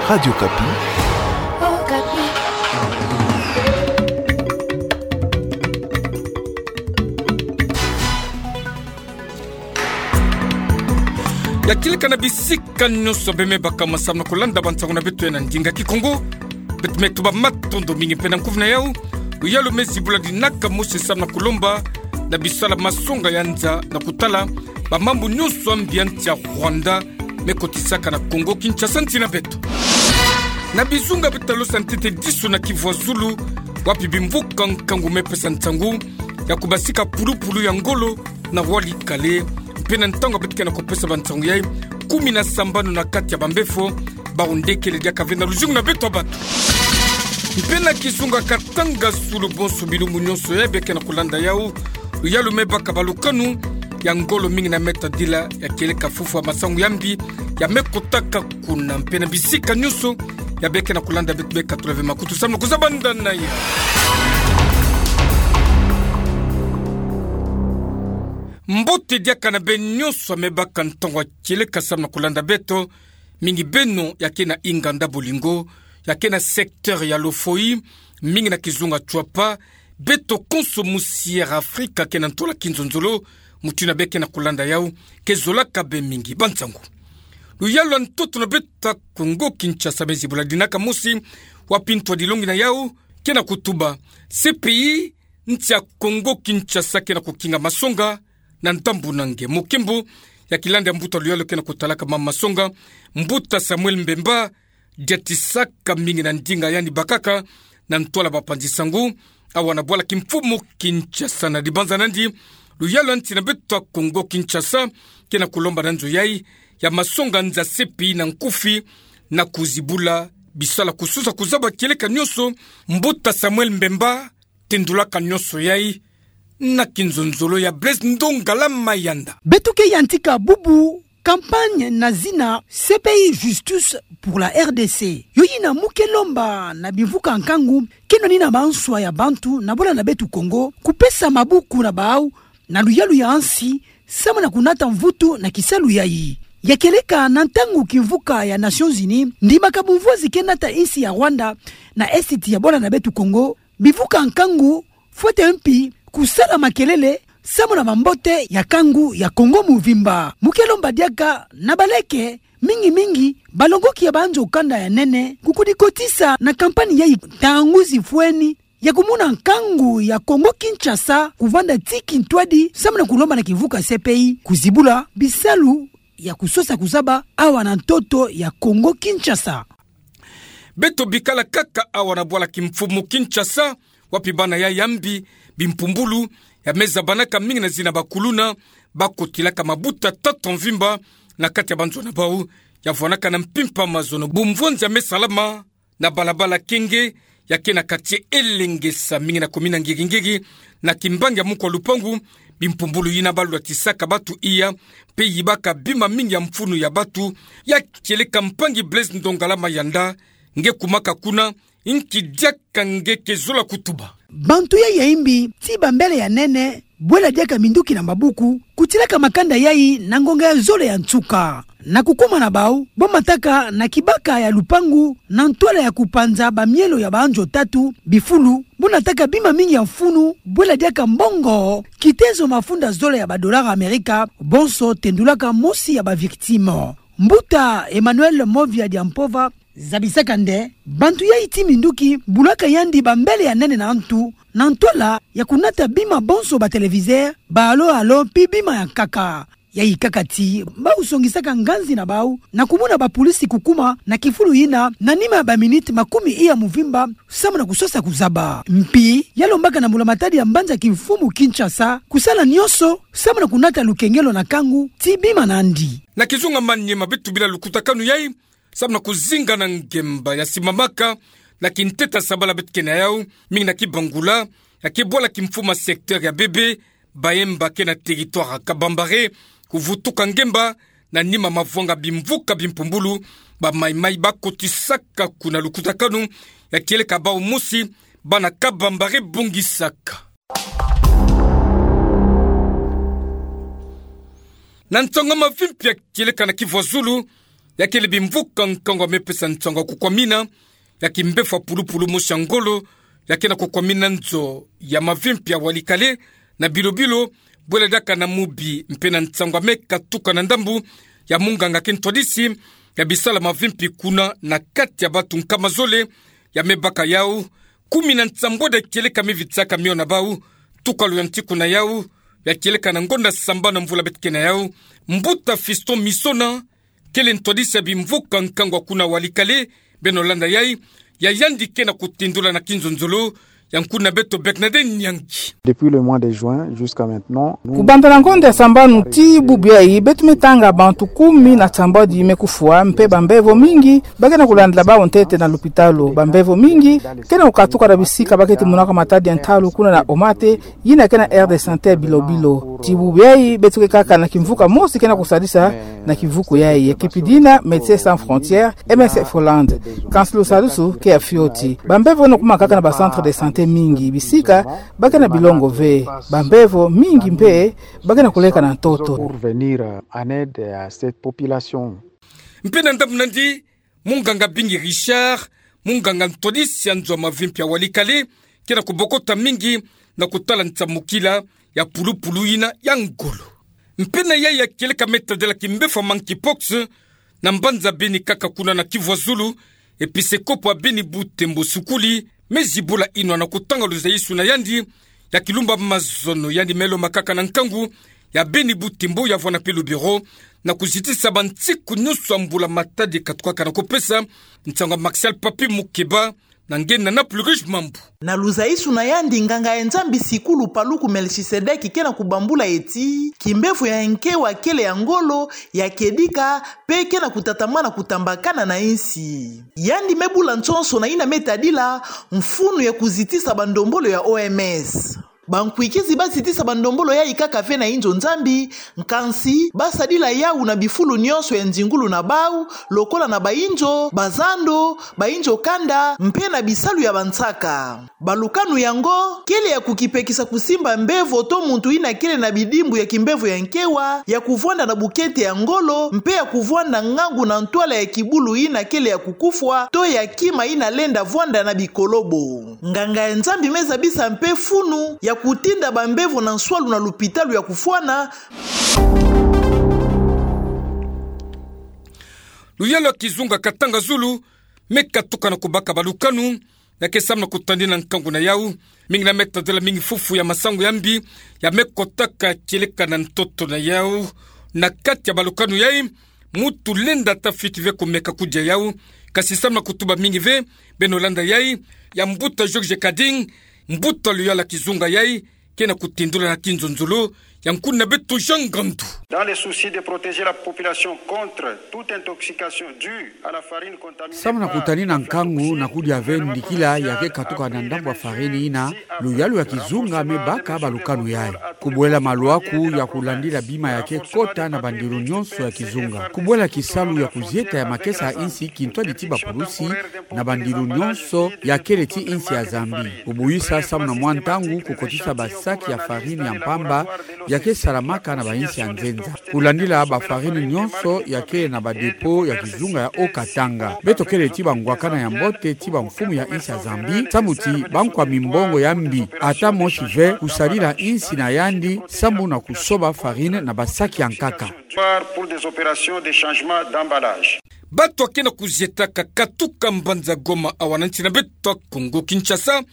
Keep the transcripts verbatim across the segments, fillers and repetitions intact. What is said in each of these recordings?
Radio Okapi. Okapi. Ya kieleka na bisika nyonso bemebaka, masamna kolanda bansangu na beto ya na ndinga Kikongo. Beto me tuba matondo mingi mpe na nkufi na yau. Luyalu me zibula dinaka mosi samna kolomba na bisala masonga ya nza na kutala bamambu nyonso ya mbi ya nsi ya Rwanda me kotisaka na Kongo Kinshasa, nsi na beto. Na bizunga beto talosa ntete diso na Kivu ya Zulu, wapi bimvuka nkangu me pesa nsangu ya kubasika pulupulu ya ngolo na Walikale, mpe na ntangu beto ke na kupesa bansangu yai, kumi na sambanu na kati ya bambefo, bawu nde kele diaka ve na luzingu na beto ya bantu. Mpe na kizunga Katanga Zulu, bonso bilumbu nyonso yai beke na kulanda yau, luyalu me baka balukanu ya ngolo mingi na me tadila ya kieleka fufulu ya masangu ya mbi ya me kotaka kuna, mpe na bisika nyonso ya beke na kulanda beto, beka tula ve makutu samna kuzabanda na yau. Mbote diaka na beno nyonso ya me baka ntangu ya kieleka samna kulanda beto, mingi beno ya ke na inganda bolingo, ya ke na secteur ya Lofoï, mingi na kizunga Tshuapa, beto konso musi Air Afrika ke na ntola kinzonzolo, mutu yina beke na kulanda yau, ke zolaka be mingi. Bansangu. Luyalu ya ntoto na beto ya Kongo Kinshasa me zibula dinaka mosi, wapi ntwadilongi na yau ke na kutuba: C P I, nsi ya Kongo Kinshasa ke na kukinga masonga na ndambu na nge. Mokembo ya kilandi ya mbuta luyalu ke na kutalaka mama masonga, mbuta Samuel Mbemba, diatisaka mingi na ndinga yandi bakaka na ntwala bapanzi sangu awa na bwala kimfumu Kinshasa. Na dibanza nandi, luyalu ya nsi na beto ya Kongo Kinshasa ke na kulomba na nzo yai ya masonga nza C P I na nkufi na kuzibula bisala kusosa kuzaba kieleka nyonso. Mbuta Samuel Mbemba, tendulaka nyonso yai na kinzonzolo ya Blaise Ndongala Mayanda. Beto ke yantika bubu campagne na zina C P I, Justice pour la R D C. Yo yina mu ke lomba na bimvuka nkangu, kino ni na manswa ya bantu na bwala na beto Kongo, kupesa mabuku na bau na luyalu ya nsi, samu na kunata mvutu na kisalu yai. Ya kieleka na ntangu kimvuka ya Nations Unies ndimaka bumvwazi ke nata nsi ya Rwanda na Est ya bwala na beto Kongo, bimvuka nkangu fwete mpi kusala makelele samu na mambote ya nkangu ya Kongo muvimba. Mu ke lomba diaka na baleke, mingi mingi balongoki ya banzo kanda ya nene, kukudikotisa na campagne yai ntangu zifweni, ya kumona nkangu ya Kongo Kinshasa kuvanda ti kintwadi samu na kulomba na kimvuka C P I kuzibula bisalu ya kusosa kuzaba awa na ntoto ya Kongo Kinshasa. Beto bikala kaka awa na bwala kimfumu Kinshasa, wapi bana yai ya mbi, bimpumbulu, ya me zabanaka mingi na zina bakuluna, bakotilaka mabuta tata mvimba na kati ya banzo na bau, ya vwanaka na mpimpa mazono. Bumvwanzi ya me salama na balabala Kenge, ya ke na quartier Elengesa, mingi na commune ya Ngigi-Ngigi, na kimbangi ya mukwa lupangu, bimpumbulu yina balwatisaka batu iya, mpe yibaka bima mingi ya mfunu ya batu. Ya kieleka mpangi Blaise Ndongala Mayanda, nge kumaka kuna, nki diaka nge ke zola kutuba? Bantu yai ya mbi, ti bambele ya nene, bwela diaka minduki na mabuku, kutilaka makanda yai na ngonga ya zole ya nsuka. Na kukuma na bau, bo mataka na kibaka ya lupangu, na ntwala ya kupanza bamielo ya banzo tatu, bifulu, bo nataka bima mingi ya mfunu, bwela diaka mbongo kitezo mafunda zole ya ba dollars Amerika, bonso tendulaka mosi ya ba victimes. Mbuta Emmanuel Movia Diampova, zabisaka nde, bantu yai ti minduki bulaka yandi bambele ya nene na ntu, na ntwala ya kunata bima bonso, ba téléviseurs, ba allô-allô, mpi bima ya nkaka. Yai kaka ti bau songisaka nganzi na bau, na kumona ba pulisi kukuma na kifulu yina, na nima ya ba minutes makumi iya mvimba, samu na kusosa kuzaba. Mpi ya lombaka na mbula matadi ya mbanza kimfumu Kinshasa, kusala nyonso, samu na kunata lukengelo na nkangu ti bima nandi. Na kizunga Maniema beto bila lukutakanu yai, samu na kuzinga na ngemba ya simbamaka na kintete ya sabala beto ke na yau, mingi na Kibangula, ya ke bwala kimfumu ya secteur ya Bebe, Baemba ke na territoire ya Kabambare, kuvutuka ngemba, na nima mavwanga bimvuka bimpumbulu, ba Mai-Mai bakotisaka kuna. Lukutakanu ya kieleka bau mosi, bana Kabambare bongisaka. Na nsangu ya mavimpi ya kieleka na Kivu ya Zulu, Ya kele bimvuka nkangu ya mepesa nsangu ya kukwamina ya kimbefo ya pulupulu mosi ya ngolo, ya ke na kukwamina nzo ya mavimpi ya Walikale na bilobilo, bwela diaka na mubi mpe na nsangu ya meka tuka na ndambu ya munganga ke ntwadisi ya bisala mavimpi kuna na kati ya batu nkama zole ya mebaka yau, kumi na nsambwadi ya kieleka mivitsaka mio na bau, tuka luyantiku na yau, ya kieleka na ngonda sambanu ya mvula beto ke na yau, Mbuta Fiston Misona, kele ntwadisi ya bimvuka nkangu ya kuna Walikale, beno landa yai, ya yandi ke na kutindula na kinzonzolo, ya nkuna beto Bernadette Nyangi. Depuis le mois de juin jusqu'à maintenant, nous... Kubanda na ngonda ya sambanu tii bubu yai, beto me tanga bantu kumi na nsambwadi me kufwa, mpe bambevo mingi ba ke na kulandila bau ntete na lupitalu. Bambevo mingi ke na kukatuka na bisika ba keti monaka matadi ya ntalu kuna na Omate, yina ke na aire de santé ya bilobilo. Tii bubu yai, beto ke kaka na kimvuka mosi ke na kusadisa na kivuku yai, ya kipidi na Médecins Sans Frontières, M S F Hollande. Kansi lusadusu ke ya fioti. Bambevo ke na kukumakaka na ba centres de santé mingi, bisika ba ke na bilongo ve. Bambevo mingi mpe ba ke na kuleka na ntoto. Pour venir en aide à cette population. Mpe na ndambu nandi, munganga Bingi Richard, munganga ntwadisi ya nzo ya mavimpi ya Walikale, ke na kubokota mingi na kutala nsamukila ya pulupulu yina ya ngolo. Mpe na yai ya kieleka me tadila kimbefo ya monkeypox na mbanza Beni kaka kuna na Kivu ya Zulu, episekopo ya Beni Butembo Sukuli, me zibula inwa na kutanga luzayisu na yandi ya kilumba mazono, yandi me lomba kaka na nkangu ya Beni Butembo ya vwanda mpe le bureau na kuzitisa bansiku nyonso ya mbula-matadi katukaka na kupesa nsangu ya Martial Papy Mukeba, na nge na Naples Riche Mambu. Na luzayisu na yandi, nganga ya Nzambi Sikulu Paluku Melchisedeki ke na kubambula eti, kimbefo ya nkewa kele ya ngolo, ya kedika, mpe ke na kutatamana kutambakana na insi. Yandi me bula nsonso na yina me tadila mfunu ya kuzitisa bandombolo ya O M S. Bankwikizi ba zitisa bandombolo yai kaka ve na inzo Nzambi, nkansi ba sadila yau na bifulu nyonso ya nzingulu na bau, lokola na bainzo, bazando, bainzo kanda, mpe na bisalu ya bansaka. Balukanu yango kele ya kukipekisa kusimba mbevo to muntu yina kele na bidimbu ya kimbefo ya nkewa, ya kuvwanda na bukete ya ngolo, mpe ya kuvwanda ngangu na ntwala ya kibulu yina kele ya kukufwa to ya kima yina lenda vwanda na bikolobo. Nganga ya Nzambi me zabisa mpe funu ya kutinda bambevo na nswalu na lupitalu ya kufwana. Luyalu ya kizunga Katanga Zulu me katuka na kubaka balukanu, ya ke samu na kutadina nkangu na yau, mingi na me tadila mingi fufu ya masangu ya mbi ya me kotaka kieleka na ntoto na yau. Na kati ya balukanu yai, muntu lenda ata fioti ve kumeka kudia yau, kasi samu na kutuba mingi ve, beno landa yai ya mbuta Georges Kading, mbuta luyalu ya kizunga yai, ke na kutindula na kinzonzolo, ya nkuna beto Jean Ngandu. Dans le souci de protéger la population contre toute intoxication due à la farine contaminée par la farine toxique, le gouvernement a décidé de... Samu na kutadina nkangu na kudia ve ndikila ya ke katuka na ndambu ya farine yina, luyalu ya kizunga me baka balukanu yai. Kubwela maluaku ya kulandila bima ya ke kota na bandilu nyonso ya kizunga. Kubwela kisalu ya kuzieta ya makesa ya insi kintwadi ti bapulusi na bandilu nyonso ya kele ti insi ya Zambie. Kubuyisa samu na mwa ntangu kukotisa basaki ya farine ya mpamba ya ke salamaka na bainsi ya nzenza. Kulandila bafarine nyonso ya kele na badépôt ya kizunga ya Haut-Katanga. Beto kele ti bangwakana ya mbote ti bamfumu ya insi ya Zambie, samu ti bankwami mbongo ya mbi ata mosi ve kusadila insi na yandi samu na kusoba farine na basaki ya nkaka. Pour des opérations de changement d'emballage. Bato ya ke na kuzietaka katuka mbanza Goma awa na nsi na beto Kongo Kinshasa,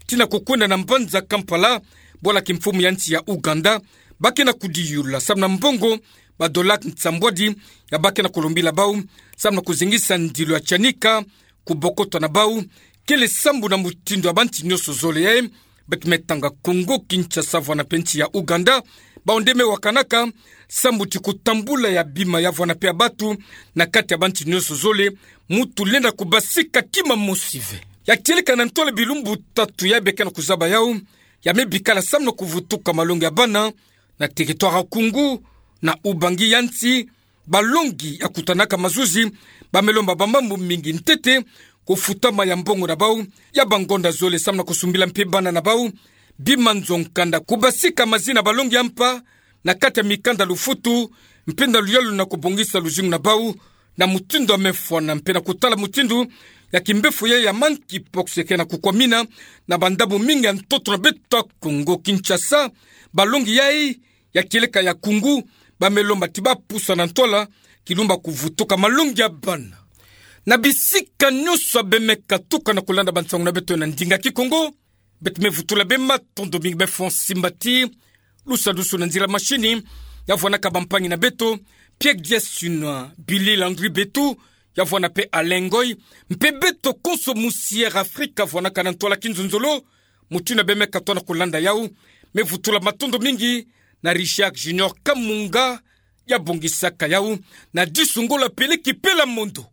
tii na kukwenda na mbanza Kampala, bwala kimfumu ya nsi ya Ouganda, ba ke na kudiyula samu na mbongo badola nsambwadi ya ba ke na kulombila bau, samu na kuzengisa ndilo ya tianika kubokotwa na bau, kele sambu na mutindu ya bansi nyonso zole yai, beto me tanga Kongo Kinshasa vwanda mpe nsi ya Ouganda, bau nde me wakanaka sambu ti kutambula ya bima ya vwanda mpe ya bato na kati ya bansi nyonso zole, muntu lenda kubasika kima mosi ve. Ya tieleka na ntwala bilumbu tatu ya be ke na kuzaba yau, ya me bikala samu na kuvutuka malongi ya bana na territoire ya Koungou, na Ubangi ya nsi, balongi ya kutanaka mazuzi, ba me lomba bamambu mingi ntete, kufutama ya mbongo na bau ya bangonda zole samu na kusumbila mpe bana na bau bima nzo nkanda, kubasika mazina balongi ya mpa na kati ya mikanda lufutu, mpe na luyalu na kubongisa luzingu na bau na mutindu ya mefwana mpe na kutala mutindu ya kimbefo ya, ya monkeypox ya ke na kukwamina na bandambu mingi ya ntoto na beto ya Kongo Kinshasa. Balongi yai ya kieleka ya Kungu, bamelo mati bapusa na ntwala, kilumba kuvutuka malongi ya bana. Na bisika nyonso bemeka tuka na kulanda bansangu na beto na ndinga Kikongo, beto me vutula beno matondo mingi beno fwani simbati. Lusadusu na nzila mashini, ya vwanaka bampangi na beto, Pierre Diasuna, Billy Landry Betu, ya vwana mpe Alain Ngoy, mpe beto konso mu Sierra Africa vwanaka na ntwala kinzonzolo, mutindu bemeka tona kulanda yau, me vutula matondo mingi na Richard Junior Kamunga, ya bongisaka yau, na disu ngola peleki pela mondo.